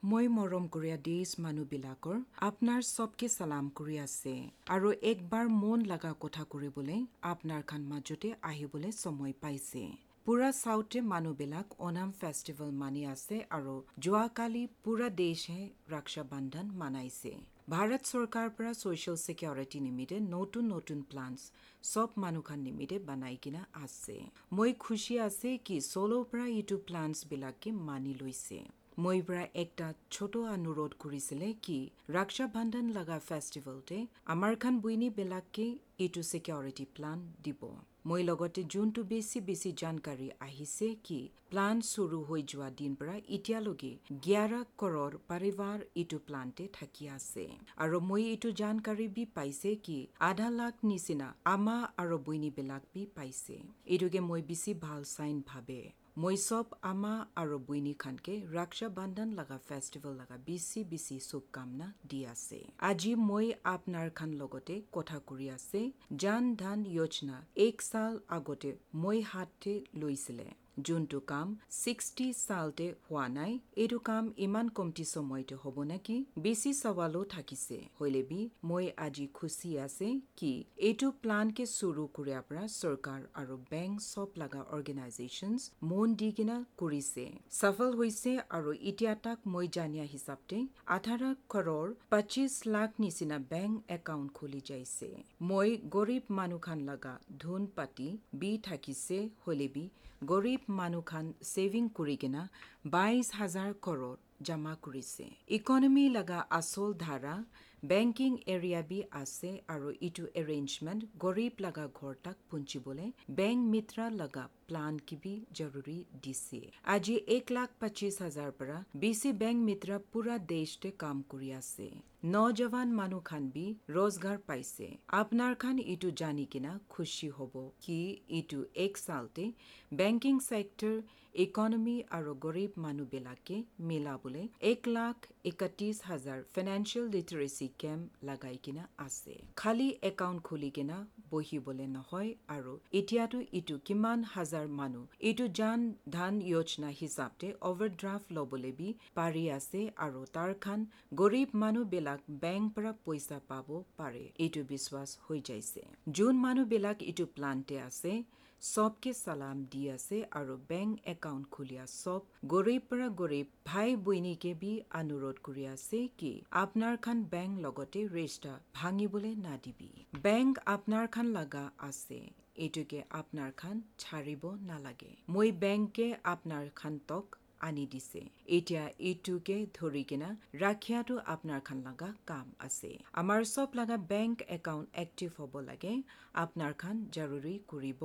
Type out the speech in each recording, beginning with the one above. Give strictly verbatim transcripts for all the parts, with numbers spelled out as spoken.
মই মৰম কৰিয়া দেশ মানুহবিলাকৰ আপোনাৰ চবকে চালাম কৰি আছে আৰু একবাৰ মন লগা কথা কৰিবলৈ আপোনাৰ খান মাজতে আহিবলৈ সময় পাইছে। পুৰা চাউথে মানুহবিলাক অনাম ফেষ্টিভেল মানি আছে আৰু যোৱাকালি পুৰা দেশে ৰক্ষা বন্ধন মানাইছে। ভাৰত চৰকাৰ পৰা ছ'চিয়েল ছিকিউৰিটি নিমিত্তে নতুন নতুন প্লানছ চব মানুহখান নিমিত্তে বনাই কিনা আছে। মই খুচি আছে কি চলৰ পৰা এইটো প্লানছবিলাকে মানি লৈছে। মই পৰা একটা ছোট অনুৰোধ কৰিছিলে কি ৰক্ষা বন্ধন লগা ফেষ্টিভেলতে আমাৰ খান বইনীবিলাকে এইটো ছিকিউৰিটি প্লান দিব। মই লগতে যোনটো বেছি বেছি জানকাৰী আহিছে কি প্লান চুৰু হৈ যোৱা দিন পৰা এতিয়ালৈকে এঘাৰ কৰোৰ পৰিবাৰ এইটো প্লানতে থাকি আছে আৰু মই এইটো জানকাৰী বি পাইছে কি আধা লাখ নিচিনা আমা আৰু বইনীবিলাক বি পাইছে। এইটোকে মই বেছি ভাল চাইন ভাবে। মই চব আমা আৰু বইনী খানকে ৰক্ষা বন্ধন লগা ফেষ্টিভেল লগা বেছি বেছি শুভকামনা দি আছে। আজি মই আপোনাৰ খান লগতে কথা কৰি আছে জন ধন যোজনা এক সাল আগতে মই হাতে লৈছিলে, যোনটো কাম ছিক্সটি সালতে হোৱা নাই। এইটো কাম ইমান কমটি সময়তে হ'ব নেকি বেছি সৱালো থাকিছে। হ'লে বি মই আজি খুচি আছে কি এইটো প্লানকে চুৰু কৰাৰ পৰা চৰকাৰ আৰু বেংক চব লগা অৰ্গেনাইজেশ্যনছ মন দি কিনা কৰিছে, সফল হৈছে আৰু এতিয়া তাক মই জানিয়া হিচাপতে আঠাৰ কৰোৰ পঁচিছ লাখ নিচিনা বেংক একাউণ্ট খুলি যাইছে। মই গৰীব মানুহখান লগা ধন পাতি বি থাকিছে, হ'লে বি গৰীব মানুহখান ছেভিং কৰি কিনা বাইছ হাজাৰ কৰোৰ জমা কৰিছে। ইকনমি লগা আচল ধাৰা বেংকিং এৰিয়া বি আছে আৰু ইটো এৰেঞ্জমেণ্ট গৰীব লগা ঘৰ তাক পুঞ্চিবলৈ বেংক মিত্ৰা লগা প্লান কিবি জৰুৰী দিছে। আজি এক লাখ পঁচিছ হাজাৰ পৰা বেছি বেংক মিত্ৰা পুৰা দেশতে কাম কৰি আছে। নজৱান মানুহখান বি ৰোজগাৰ পাইছে। আপোনাৰ খান ইটো জানি কিনা খুচি হ'ব কি ইটো এক সালতে বেংকিং চেক্টৰ ইকনমি আৰু গৰীব মানুহবিলাকে মিলাবলৈ এক লাখ একত্ৰিছ হাজাৰ ফাইনেন্সিয়েল লিটাৰেচি কেম্প লগাই কিনা আছে। খালী একাউণ্ট খুলি কিনা বহিবলৈ নহয় আৰু এতিয়াতো ইটো কিমান হাজাৰ মানুহ এইটো জন ধন যোজনা হিচাপতে অভাৰড্ৰাফ্ট ল'বলৈ বি পাৰি আছে আৰু তাৰ খান গৰীব মানুহবিলাক বেংক পৰা পইচা পাব পাৰে, এইটো বিশ্বাস হৈ যাইছে। যোন মানুহবিলাক এইটো প্লানতে আছে চবকে চালাম দি আছে আৰু বেংক একাউণ্ট খুলিয়া চব গৰীব পৰা গৰীব ভাই বইনীকে বি অনুৰোধ কৰি আছে কি আপোনাৰ খান বেংক লগতে ৰেষ্টা ভাঙিবলৈ নাদিবি। বেংক আপোনাৰ খান লগা আছে, এইটোকে আপোনাৰ খান ছাৰিব নালাগে। মই বেংকে আপোনাৰ খান তক আনি দিছে, এতিয়া এইটোকে ধৰি কিনা ৰাখিয়াটো আপোনাৰ খান লগা কাম আছে। আমাৰ চব লগা বেংক একাউণ্ট এক্টিভ হ'ব লাগে, আপোনাৰ খান জৰুৰী কৰিব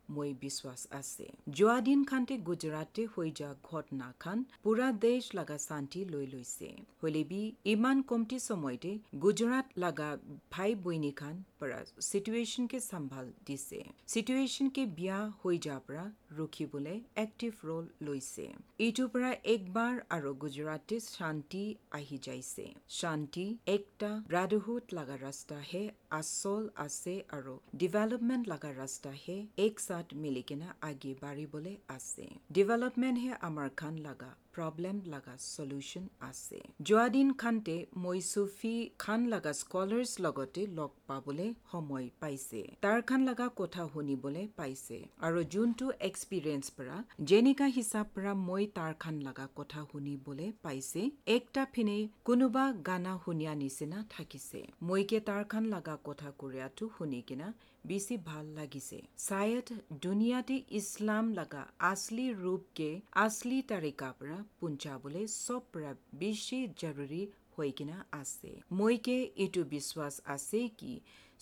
মই বিশ্বাস আছে। যোৱা দিন খানতে গুজৰাটে হৈ যোৱা ঘটনা খান পুৰা দেশ লগা শান্তি লৈ লৈছে। হ'লে বি ইমান কমটি সময়তে গুজৰাট লগা ভাই বইনী খান পৰা চিটুৱেশ্যনকে চম্ভাল দিছে, চিটুৱেশ্যনকে বিয়া হৈ যোৱাৰ পৰা ৰখিবলৈ এক্টিভ ৰোল লৈছে। এইটোৰ পৰা একবাৰ আৰু গুজৰাটে শান্তি আহি যাইছে। শান্তি একটা ব্ৰাদাৰহুড লগা ৰাস্তাহে আচল আছে আৰু ডেভেলপমেণ্ট লগা ৰাস্তাহে এক সাথ মিলি কিনা আগে বাঢ়িবলৈ আছে। ডেভেলপমেণ্টহে আমাৰ খান লগা প্ৰব্লেম লগা চলিউশ্যন আছে। যোৱা দিন খানতে মই চুফি খান লগা স্কলাৰ্ছ লগতে লগ পাবলৈ সময় পাইছে, তাৰ খান লগা কথা শুনিবলৈ পাইছে আৰু যোনটো এক্সপিৰিয়েঞ্চ পৰা যেনেকা হিচাপ পৰা মই তাৰ খান লগা কথা শুনিবলৈ পাইছে, একটা ফিনে কোনোবা গানা শুনিয়া নিচিনা থাকিছে। মইকে তাৰ খান লগা কথা কৰিয়াটো শুনি কিনা বেছি ভাল লাগিছে। চায়দ দুনিয়াতে ইছলাম লগা আছলি ৰূপকে আছলি তাৰিকা পৰা পুঞ্চাবলৈ চব পৰা বেছি জৰুৰী হৈ কিনা আছে। মইকে এইটো বিশ্বাস আছে কি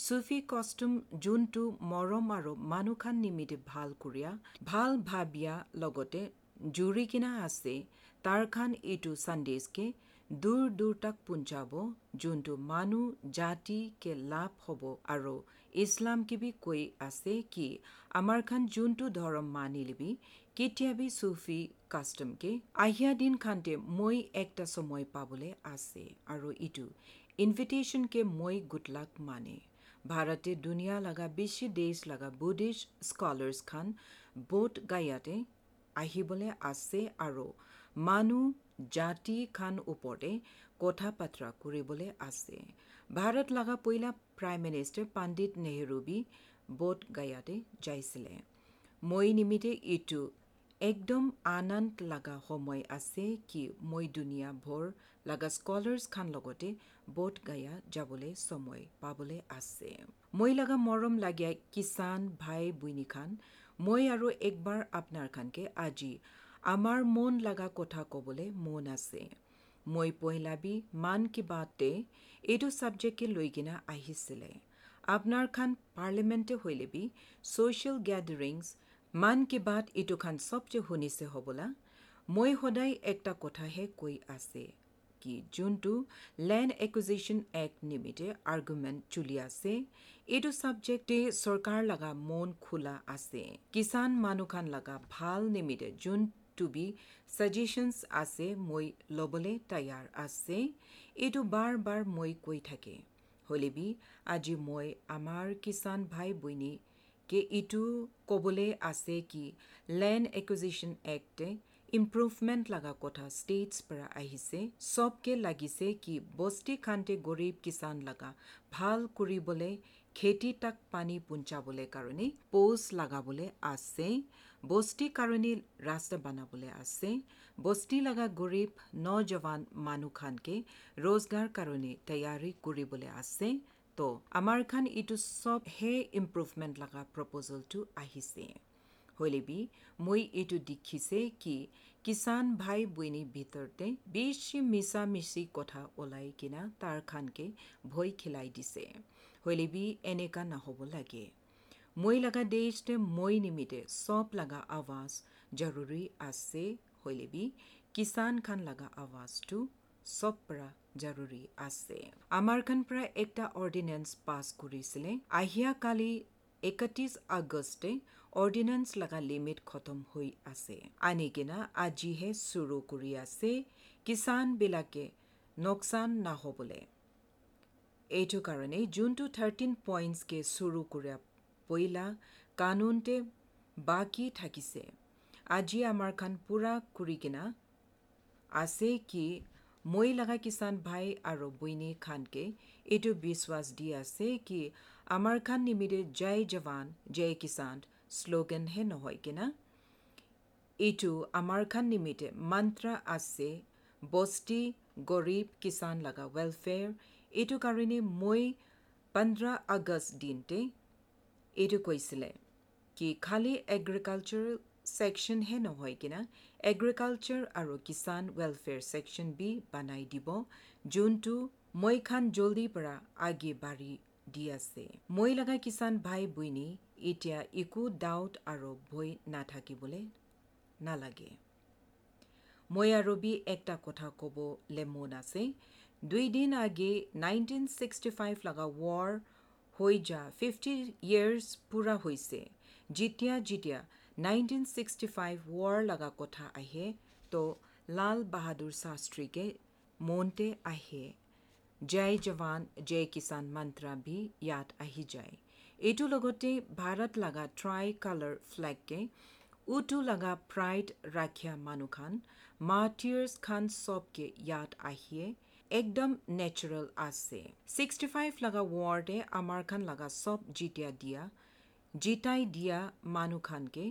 চুফি কষ্টম যোনটো মৰম আৰু মানুহখান নিমিত্তে ভাল কৰিয়া ভাল ভাবিয়া লগতে জুৰি কিনা আছে, তাৰ খান এইটো সন্দেশকে দূৰ দূৰ তাক পুঞ্চাব, যোনটো মানুহ জাতি কে লাভ হ'ব আৰু ইছলাম কিবি কৈ আছে কি আমাৰ খান যোনটো ধৰ্ম মানি লিবি কেতিয়াবি চুফি কাষ্টমকে আহিয়া দিন খানতে মই একটা সময় পাবলৈ আছে আৰু ইটো ইনভিটেশ্যনকে মই গুড লাক মানে। ভাৰতে দুনিয়া লগা বেছি দেশ লগা বুদ্ধিষ্ট স্কলাৰ্ছ খান বোধ গায়াতে আহিবলৈ আছে আৰু মানুহ জাতি খান ওপৰতে কথা বাতৰা কৰিবলৈ আছে। ভাৰত লগা পইলা প্ৰাইম মিনিষ্টাৰ পণ্ডিত নেহৰু বি বোধ গয়াতে যাইছিলে। মই নিমিতে এইটো একদম আনন্দ লগা সময় আছে কি মই দুনিয়া ভৰ লগা স্কলাৰ্ছ খান লগতে বোধ গয়া যাবলৈ সময় পাবলৈ আছে। মই লগা মৰম লাগিয়া কিষাণ ভাই বইনী খান, মই আৰু একবাৰ আপোনাৰ খানকে আজি আমাৰ মন লগা কথা ক'বলৈ মন আছে। মই পহিলাবি মান কি বাতে এইটো ছাবজেক্টকে লৈ কিনে আহিছিলে। আপোনাৰ খান পাৰ্লিমেণ্টে হ'লেবি ছ'চিয়েল গেডাৰিংছ মান কি বাত এইটো খান চবচে শুনিছে হ'বলা। মই সদায় একটা কথাহে কৈ আছে কি যোনটো লেণ্ড একুইজিশ্যন এক্ট নিমিত্তে আৰ্গুমেণ্ট চলি আছে, এইটো ছাবজেক্টে চৰকাৰ লগা মন খোলা আছে। কিষাণ মানুহখান লগা ভাল নিমিত্তে যোনটো বি ছাজেশ্যনছ আছে মই ল'বলৈ তৈয়াৰ আছে, এইটো বাৰ বাৰ মই কৈ থাকে। হ'লেবি আজি মই আমাৰ কিষাণ ভাই বইনী কে এইটো ক'বলৈ আছে কি লেণ্ড একুইজিশ্যন এক্টে ইম্প্ৰুভমেণ্ট লগা কথা ষ্টেটছ পৰা আহিছে। চবকে লাগিছে কি বস্তি খানতে গৰীব কিষাণ লগা ভাল কৰিবলৈ খেতি তাক পানী পুঞ্চাবলৈ কাৰণে প'ষ্ট লগাবলৈ আছে, বস্তি কাৰণে ৰাস্তা বনাবলৈ আছে, বস্তি লগা গৰীব নজৱান মানুহ খানকে ৰোজগাৰ কাৰণে তৈয়াৰী কৰিবলৈ আছে। তো আমাৰ খান এইটো চব হে ইম্প্ৰুভমেণ্ট লগা প্ৰপ'জেলটো আহিছে। হ'লেবি মই এইটো দেখিছে কি কিষাণ ভাই বইনী ভিতৰতে বেছি মিছা মিছি কথা ওলাই কিনা তাৰ খানকে ভয় খিলাই দিছে। হ'লেবি এনেকা নহ'ব লাগে। মই লগা দেশতে মই নিমিতে চব লগা আৱাজ জৰুৰী আছে, হ'লেবি কিষাণ খান লগা আৱাজটো চব পৰা জৰুৰী আছে। আমাৰ খান পৰা একটা অৰ্ডিনেন্স পাছ কৰিছিলে আহিয়া কালি একত্ৰিছ আগষ্টে অৰ্ডিনেন্স লগা লিমিট খতম হৈ আছে, আনি কিনা আজিহে চুৰু কৰি আছে কিষাণবিলাকে নোকচান নহ'বলৈ। এইটো কাৰণে যোনটো থাৰ্টিন পইণ্টছকে চুৰু কৰা পইলা কানুনতে বাকী থাকিছে, আজি আমাৰ খান পূৰা কৰি কিনা আছে কি মই লগা কিষাণ ভাই আৰু বইনী খানকে এইটো বিশ্বাস দি আছে কি আমাৰ খান নিমিতে জয় জৱান জয় কিষাণ শ্লোগানহে নহয় কিনা, এইটো আমাৰ খান নিমিতে মন্ত্ৰ আছে বস্তি গৰীব কিষাণ লগা ৱেলফেয়াৰ। এইটো কাৰণে মই পোন্ধৰ আগষ্ট দিনতে এইটো কৈছিলে কি খালী এগ্ৰিকালচাৰেল ছেকশ্যনহে নহয় কিনা এগ্ৰিকালচাৰ আৰু কিষাণ ৱেলফেয়াৰ ছেকশ্যন বি বনাই দিব, যোনটো মই খান জলদিৰ পৰা আগে বাঢ়ি দি আছে। মই লগা কিষাণ ভাই বইনী এতিয়া একো ডাউট আৰু ভয় নাথাকিবলৈ নালাগে। মই আৰু বি একটা কথা ক'বলৈ মন আছে। দুই দিন আগে নাইনটিন ছিক্সটি ফাইভ লগা ৱাৰ হৈ যা ফিফটি ইয়েৰ্ছ পূৰা হৈছে। যেতিয়া যেতিয়া নাইনটিন ছিক্সটি ফাইভ ৱাৰ লগা কথা আহে তো লাল বাহাদুৰ শাস্ত্ৰীকে মনতে আহে, জয় জৱান জয় কিষাণ মন্ত্ৰ বি ইয়াত আহি যায়। এইটো লগতে ভাৰত লগা ট্ৰাই কালাৰ ফ্লেগকে উটো লগা প্ৰাইড ৰাখিয়া মানুহখান মাৰ্টিয়াৰ্ছ খান চবকে ইয়াত আহিয়ে একদম নেচাৰেল আছে। ছিক্সটি ফাইভ লগা ৱাৰ্ডে আমাৰ খান লগা চব জিতিয়া দিয়া জিতাই দিয়া মানুহখানকে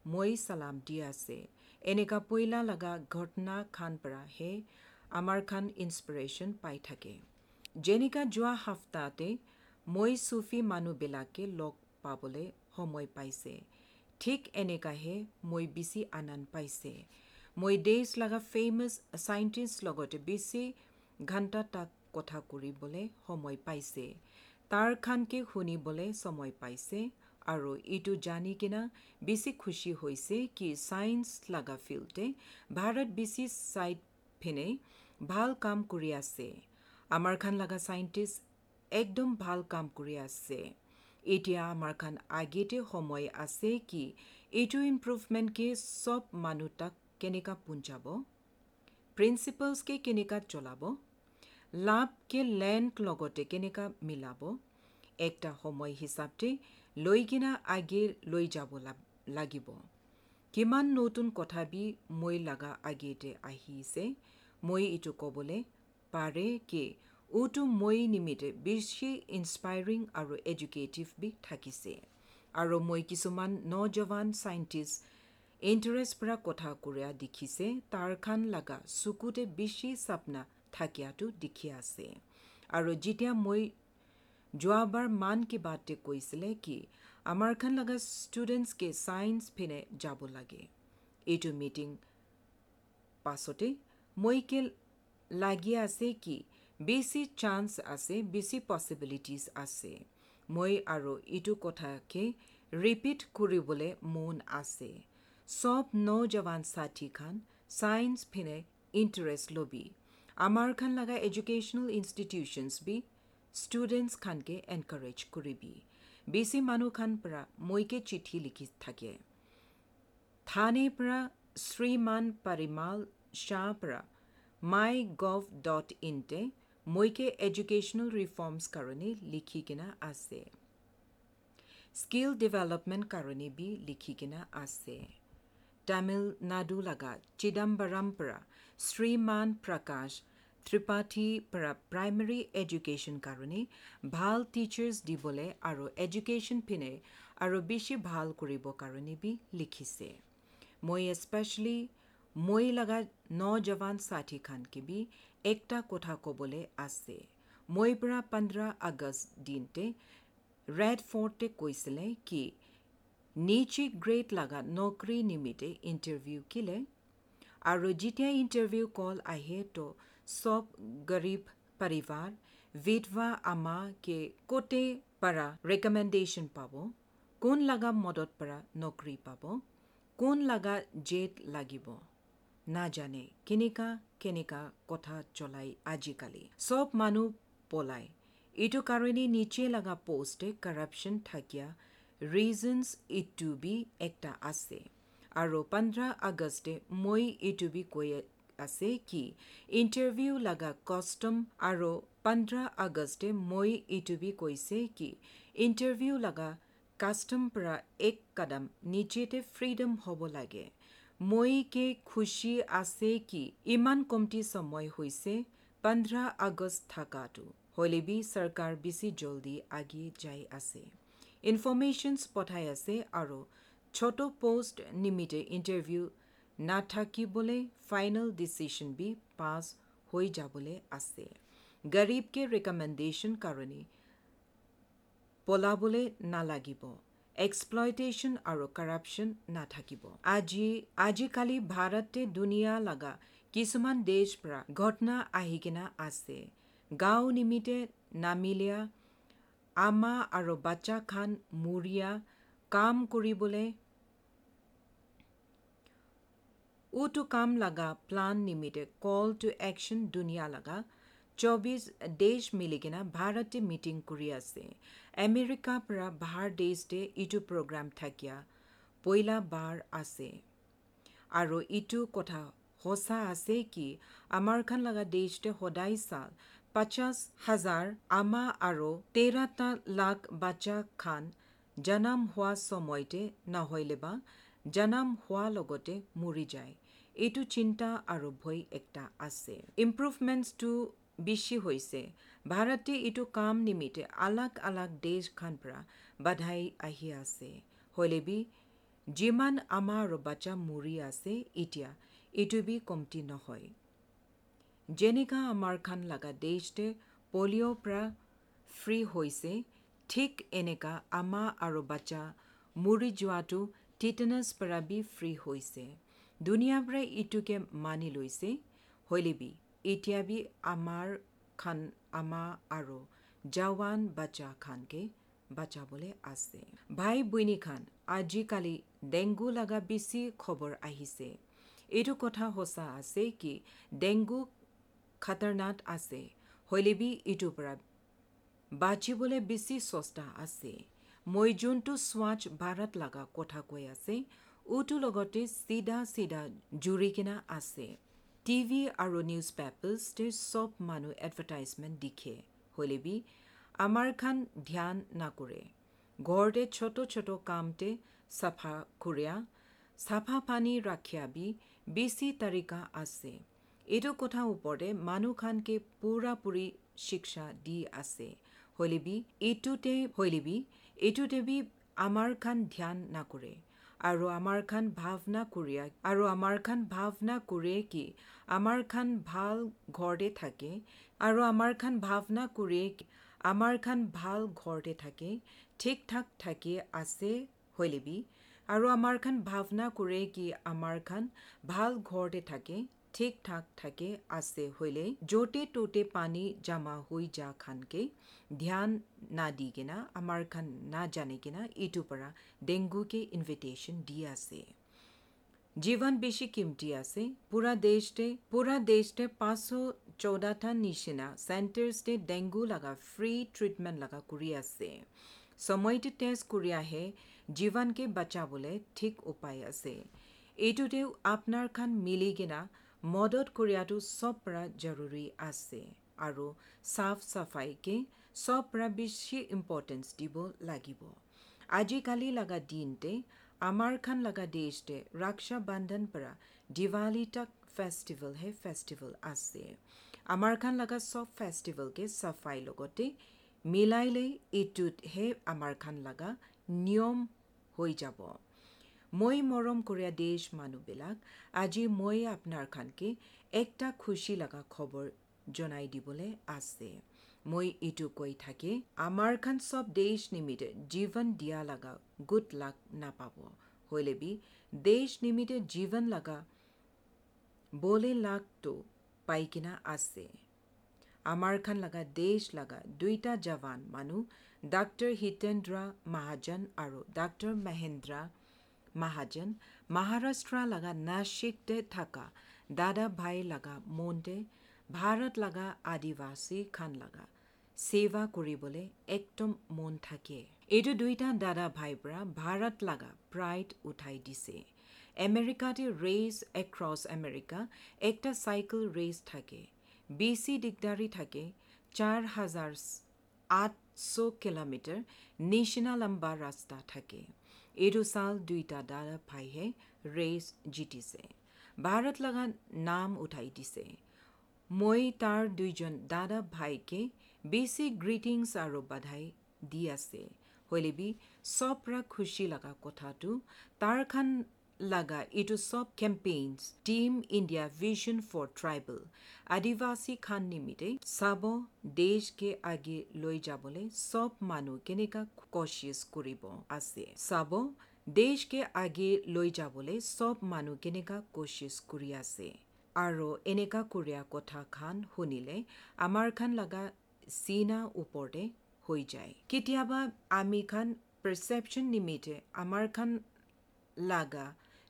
মই চালাম দি আছে। এনেকা পইলা লগা ঘটনা খান পৰা হে আমাৰ খান ইনস্পিৰেশ্যন পাই থাকে। যেনেকা যোৱা সপ্তাহতে মই চুফি মানুহবিলাকে লগ পাবলৈ সময় পাইছে, ঠিক এনেকাহে মই বেছি আনন্দ পাইছে। মই দেশ লগা ফেমাছ চাইণ্টিষ্ট লগতে বেছি ঘণ্টা তাক কথা কৰিবলৈ সময় পাইছে, তাৰ খানকে শুনিবলৈ সময় পাইছে আৰু এইটো জানি কিনা বেছি খুচি হৈছে কি চায়েন্স লগা ফিল্ডে ভাৰত বেছি চাইড পিনে ভাল কাম কৰি আছে। আমাৰ খান লগা চাইণ্টিষ্ট একদম ভাল কাম কৰি আছে। এতিয়া আমাৰ খান আগেতে সময় আছে কি এইটো ইম্প্ৰুভমেণ্টকে চব মানুহ তাক কেনেকা পুঞ্চাব, প্ৰিন্সিপলছকে কেনেকা চলাব, লাভকে লেণ্ড লগতে কেনেকা মিলাব, একটা সময় হিচাপতে লৈ কিনা আগে লৈ যাব লাগিব। কিমান নতুন কথা বি মই লগা আগেতে আহিছে, মই এইটো ক'বলৈ পাৰে কি উটো মই নিমিত্তে বেছি ইনস্পাইৰিং আৰু এডুকেটিভ বি থাকিছে। আৰু মই কিছুমান নজৱান চাইণ্টিষ্ট ইণ্টাৰেষ্ট পৰা কথা কৰা দেখিছে, তাৰ খান লগা চকুতে বেছি চাপনা থাকিয়াটো দেখি আছে। আৰু যেতিয়া মই যোৱাবাৰ মান কি বাতে কৈছিলে কি আমাৰ খান লগা ষ্টুডেণ্টছকে ছায়েন্স পিনে যাব লাগে, এইটো মিটিং পাছতে মই কে লাগি আছে কি বেছি চান্স আছে, বেছি পচিবিলিটিজ আছে। মই আৰু এইটো কথাকে ৰিপিট কৰিবলৈ মন আছে, চব নজৱান সাথী খান ছায়েন্স পিনে ইণ্টাৰেষ্ট ল'বি। আমাৰ খান লগা এডুকেশ্যনেল ইনষ্টিটিউশ্যনছ বি ষ্টুডেণ্টছ খানকে এনকাৰেজ কৰিবি। বেছি মানুহ খান পৰা মইকে চিঠি লিখি থাকে। থানে পৰা শ্ৰীমান পৰিমাল শ্বাহ পৰা মাই গভ ডট ইনতে মইকে এডুকেশ্যনেল ৰিফৰ্মছ কাৰণে লিখি কিনা আছে, স্কিল ডেভেলপমেণ্ট কাৰণে বি লিখি কিনা আছে। তামিলনাডু লগা চিদাম্বৰম পৰা শ্ৰীমান প্ৰকাশ ত্ৰিপাঠী পৰা প্ৰাইমেৰী এডুকেশ্যন কাৰণে ভাল টিচাৰ্ছ দিবলৈ আৰু এডুকেশ্যন পিনে আৰু বেছি ভাল কৰিব কাৰণে বি লিখিছে। মই স্পেচিয়েলি মই লগা নজৱান সাথী খানকে বি একটা কথা ক'বলৈ আছে। মই পৰা পোন্ধৰ আগষ্ট দিনতে ৰেড ফৰ্টে কৈছিলে কি নিচে গ্ৰেড লগা নকৰি নিমিত্তে ইণ্টাৰভিউ কিলে, আৰু যেতিয়া ইণ্টাৰভিউ কল আহে তো চব গৰীব পৰিবাৰ বিধৱা আমাকে কোটে পৰা ৰেকমেণ্ডেশ্যন পাব, কোন লগা মদত পৰা নকৰি পাব, কোন লগা জেট লাগিব নাজানে, কেনেকা কেনেকা কথা চলাই আজিকালি চব মানুহ পলাই। এইটো কাৰণে নিচে লগা পোষ্টে কাৰাপশ্যন থাকিয়া ৰিজনছ ইটো বি একটা আছে। আৰু পোন্ধৰ আগষ্টে মই এইটো বি কৈ আছে কি ইণ্টাৰভিউ লগা কষ্টম, আৰু পোন্ধৰ আগষ্টে মই এইটো বি কৈছে কি ইণ্টাৰভিউ লগা কাষ্টম পৰা এক কদম নিচেতে ফ্ৰীডম হ'ব লাগে। মই কে খুচি আছে কি ইমান কমটি সময় হৈছে পোন্ধৰ আগষ্ট থকাটো, হ'লে বি চৰকাৰ বেছি জলদি আগে যাই আছে, ইনফৰ্মেশ্যনছ পঠাই আছে। আৰু ছোট পোষ্ট নিমিত্তে ইণ্টাৰভিউ নাথাকিবলৈ ফাইনেল ডিচিশ্যন বি পাছ হৈ যাবলৈ আছে। গৰীবকে ৰেকমেণ্ডেশ্যন কাৰণে পলাবলৈ নালাগিব, এক্সপ্লইটেশ্যন আৰু কাৰাপশ্যন নাথাকিব। আজি আজিকালি ভাৰতে দুনিয়া লগা কিছুমান দেশ পৰা ঘটনা আহি কিনা আছে। গাঁও নিমিত্তে নামিলীয়া আমা আৰু বাচ্চা খান মৰিয়া কাম কৰিবলৈ উটো কাম লগা প্লান নিমিত্তে কল টু একশ্যন দুনিয়া লগা চৌবিশ দেশ মিলি কিনা ভাৰতে মিটিং কৰি আছে। আমেৰিকাৰ পৰা বাহাৰ দেশতে ইটো প্ৰগ্ৰাম থাকিয়া পইলা বাৰ আছে। আৰু ইটো কথা সঁচা আছে কি আমাৰ খান লগা দেশতে সদায় চাল পঞ্চাছ হাজাৰ আমা আৰু তেৰটা লাখ বাচ্চা খান জনম হোৱা সময়তে নহ'লে বা জনম হোৱাৰ লগতে মৰি যায়। এইটো চিন্তা আৰু ভয় একটা আছে। ইম্প্ৰুভমেণ্টছটো বেছি হৈছে। ভাৰতে এইটো কাম নিমিত্তে আলাগ আলাগ দেশ খান পৰা বাধাই আহি আছে। হ'লে বি যিমান আমাৰ আৰু বাচ্চা মৰি আছে এতিয়া এইটো বি কমটি নহয়। যেনেকা আমাৰ খান লগা দেশতে পলিঅ'ৰ পৰা ফ্ৰী হৈছে, ঠিক এনেকা আমা আৰু বাচ্চা মৰি যোৱাটো টিটেনাছ পৰা বি ফ্ৰী হৈছে। দুনিয়াৰ পৰা এইটোকে মানি লৈছে। হ'লে বি এতিয়া বি আমাৰ খান আমা আৰু জৱান বাচ্চা খানকে বাচাবলৈ আছে। ভাই বৈনী খান, আজিকালি ডেংগু লগা বেছি খবৰ আহিছে। এইটো কথা সঁচা আছে কি ডেংগু খাতাৰনাক আছে, হ'লে বি এইটোৰ পৰা বাচিবলৈ বেছি চেষ্টা আছে। মই যোনটো স্বচ্ছ ভাৰত লগা কথা কৈ আছে, উটোৰ লগতে চিধা চিধা জুৰি কিনা আছে। টিভি আৰু নিউজ পেপাৰ্ছতে চব মানুহ এডভাৰটাইজমেণ্ট দিখে, হ'লে বি আমাৰ খান ধ্যান নকৰে। ঘৰতে ছোট ছোট কামতে চাফা কৰিয়া চাফা পানী ৰাখিয়া বি বেছি তাৰিকা আছে। এইটো কথা ওপৰতে মানুহ খানকে পুৰাপুৰি শিক্ষা দি আছে। হ'লেবি এইটোতে হ'লেবি এইটোতে বি আমাৰ খান ধ্যান নকৰে আৰু আমাৰ খান ভাৱনা কৰিয়া আৰু আমাৰ খান ভাৱনা কৰে কি আমাৰ খান ভাল ঘৰতে থাকে আৰু আমাৰ খান ভাৱনা কৰে আমাৰ খান ভাল ঘৰতে থাকে, ঠিক ঠাক থাকি আছে। হ'লেবি আৰু আমাৰ খান ভাৱনা কৰে কি আমাৰ খান ভাল ঘৰতে থাকে, ঠিক ঠাক থাকে আছে, হ'লে য'তে ত'তে পানী জমা হৈ যা খানকে ধ্যান না দি কিনা আমাৰ খান না জানি কিনা এইটোৰ পৰা ডেংগুকে ইনভিটেশ্যন দি আছে। জীৱন বেছি কিমতি আছে। পুৰা দেশতে পুৰা দেশতে পাঁচশ চৌদাটা নিচিনা চেণ্টাৰ্ছতে ডেংগু লগা ফ্ৰী ট্ৰিটমেণ্ট লগা কৰি আছে। সময়তে টেষ্ট কৰি আহে জীৱনকে বাচাবলৈ ঠিক উপায় আছে। এইটোতেও আপোনাৰ খান মিলি কিনা মদত কৰিয়াটো চব পৰা জৰুৰী আছে আৰু চাফ চাফাইকে চব পৰা বেছি ইম্পৰ্টেঞ্চ দিব লাগিব। আজিকালি লগা দিনতে আমাৰ খান লগা দেশতে ৰক্ষা বন্ধন পৰা দিৱালী তক ফেষ্টিভেল হে ফেষ্টিভেল আছে। আমাৰ খান লগা চব ফেষ্টিভেলকে চাফাই লগতে মিলাইলে এইটোতহে আমাৰ খান লগা নিয়ম হৈ যাব। মই মৰম কৰিয়া দেশ মানুহবিলাক, আজি মই আপোনাৰ খানকে একটা খুচি লগা খবৰ জনাই দিবলৈ আছে। মই এইটো কৈ থাকি আমাৰ খান চব দেশ নিমিত্তে জীৱন দিয়া লগা গুড লাক নাপাব, হ'লে বি দেশ নিমিত্তে জীৱন লগা বলে লাকটো পাই কিনা আছে। আমাৰ খান লগা দেশ লগা দুইটা জৱান মানুহ ডাক্তৰ হিতেন্দ্ৰ মহাজন আৰু ডাক্তৰ মহেন্দ্ৰ মহাজন মহাৰাষ্ট্ৰ লগা নাশিকতে থকা দাদা ভাই লগা মনতে ভাৰত লগা আদিবাসী খান লগা সেৱা কৰিবলৈ একদম মন থাকে। এইটো দুইটা দাদা ভাইৰ পৰা ভাৰত লগা প্ৰাইড উঠাই দিছে। আমেৰিকাতে ৰেচ এক্ৰছ আমেৰিকা একটা চাইকেল ৰেচ থাকে, বেছি দিগদাৰী থাকে, চাৰ হাজাৰ আঠশ কিলোমিটাৰ নিচিনা লম্বা ৰাস্তা থাকে। এইটো চাল দুইটা দাদা ভাইহে ৰেচ জিতিছে, ভাৰত লগা নাম উঠাই দিছে। মই তাৰ দুইজন দাদা ভাইকে বেছি গ্ৰিটিংছ আৰু বাধাই দি আছে। হ'লেবি চব পৰা খুচি লগা কথাটো তাৰ খান লগা এইটো চব campaigns team India vision for tribal আদিবাসী খান নিমিত্তে চাব দেশকে আগে লৈ যাবলৈ চব মানুহ কেনেকা কোচিছ কৰিব আছে, চাব দেশকে আগে লৈ যাবলৈ চব মানুহ কেনেকা কোচিছ কৰি আছে। আৰু এনেকা কৰিয়া কথা খান শুনিলে আমাৰ খান লগা চিনা ওপৰতে হৈ যায়। কেতিয়াবা আমি খান পাৰচেপশ্যন নিমিত্তে আমাৰ খান লগা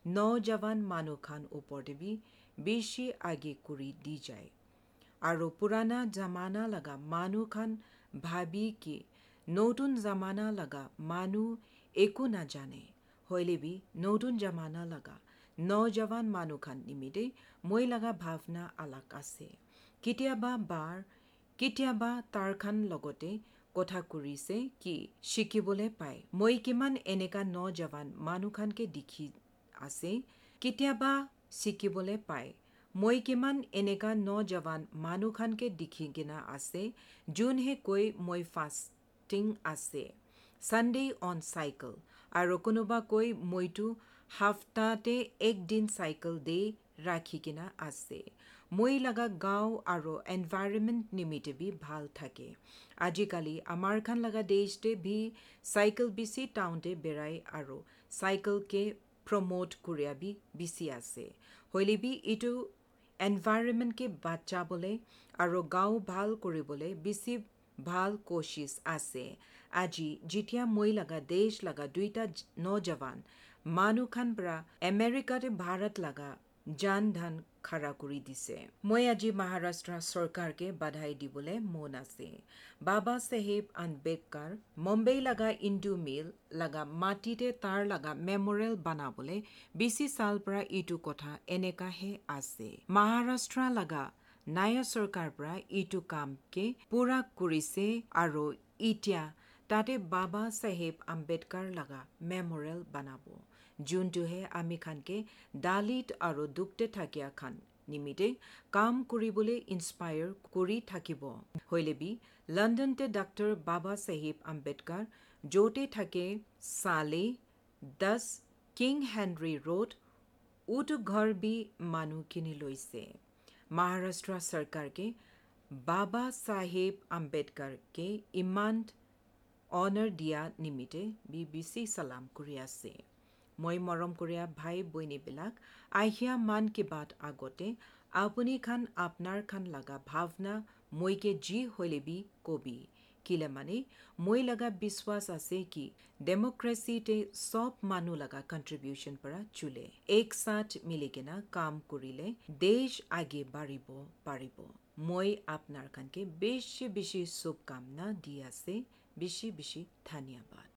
নজৱান মানুহ খান ওপৰতে বি বেছি আগে কৰি দি যায় আৰু পুৰাণা জামানা লগা মানুহ খান ভাবি কি নতুন জামানা লগা মানুহ একো নাজানে, হ'লে বি নতুন জামানা লগা নজৱান মানুহ খান নিমিত্তে মই লগা ভাৱনা আলাগ আছে। কেতিয়াবা বাৰ কেতিয়াবা তাৰ খান লগতে কথা কৰিছে কি শিকিবলৈ পায়। মই কিমান এনেকা নজৱান মানুহ খানকে দেখি আছে কেতিয়াবা শিকিবলৈ পায়। মই কিমান এনেকা নজৱান মানুহ খানকে দেখি কিনা আছে যোনহে কৈ মই ফাষ্টিং আছে ছানডে অন চাইকেল আৰু কোনোবা কৈ মইতো হাফতাতে একদিন চাইকেল দে ৰাখি কিনা আছে। মই লগা গাঁও আৰু এনভাইৰনমেণ্ট নিমিত্তে বি ভাল থাকে। আজিকালি আমাৰ খান লগা দেশতে বি চাইকেল বেছি টাউনতে বেৰাই আৰু চাইকেলকে প্ৰমোট কৰিয়া বি বেছি আছে। হ'লে বি এইটো এনভাইৰনমেণ্টকে বাচাবলৈ আৰু গাঁও ভাল কৰিবলৈ বেছি ভাল কোচিছ আছে। আজি যেতিয়া মই লগা দেশ লগা দুইটা নজৱান মানুহ খান পৰা আমেৰিকাতে ভাৰত লগা জান ধান খাৰা কৰি দিছে। মই আজি মহাৰাষ্ট্ৰ চৰকাৰকে বাধাই দিবলৈ মন আছে। বাবা চাহেব আম্বেদকাৰ মুম্বাই লগা ইন্দু মিল লগা মাটিতে তাৰ লগা মেমৰিয়েল বনাবলৈ বেছি চাল পৰা এইটো কথা এনেকাহে আছে। মহাৰাষ্ট্ৰ লগা নায়া চৰকাৰ পৰা এইটো কামকে পুৰা কৰিছে আৰু এতিয়া তাতে বাবা চাহেব আম্বেদকাৰ লগা মেমৰিয়েল বনাব, যোনটোহে আমি খানকে দালিত আৰু দুখতে থাকিয়া খান নিমিত্তে কাম কৰিবলৈ ইনস্পায়াৰ কৰি থাকিব। হৈলেবি লণ্ডনতে ডাক্তৰ বাবা চাহেব আম্বেদকাৰ য'তে থাকে চালে দহ কিং হেনৰী ৰোড উটো ঘৰ বি মানুহ কিনি লৈছে। মহাৰাষ্ট্ৰ চৰকাৰকে বাবা চাহেব আম্বেদকাৰকে ইমান অনাৰ দিয়া নিমিত্তে বি বেছি চালাম কৰি আছে। মই মৰম কৰিয়া ভাই বৈনীবিলাক, আহিয়া মান কি বাত আগতে আপুনি খান আপনাৰ খান লগা ভাৱনা মইকে যি হলেবি কবি, কিলে মানে মই লগা বিশ্বাস আছে কি ডেমক্ৰেচিতে চব মানুহ লগা কণ্ট্ৰিবিউশ্যন পৰা চলে। এক সাথ মিলি কিনা কাম কৰিলে দেশ আগে বাঢ়িব পাৰিব। মই আপোনাৰ খানকে বেছি বেছি শুভকামনা দি আছে। বেছি বেছি ধন্যবাদ।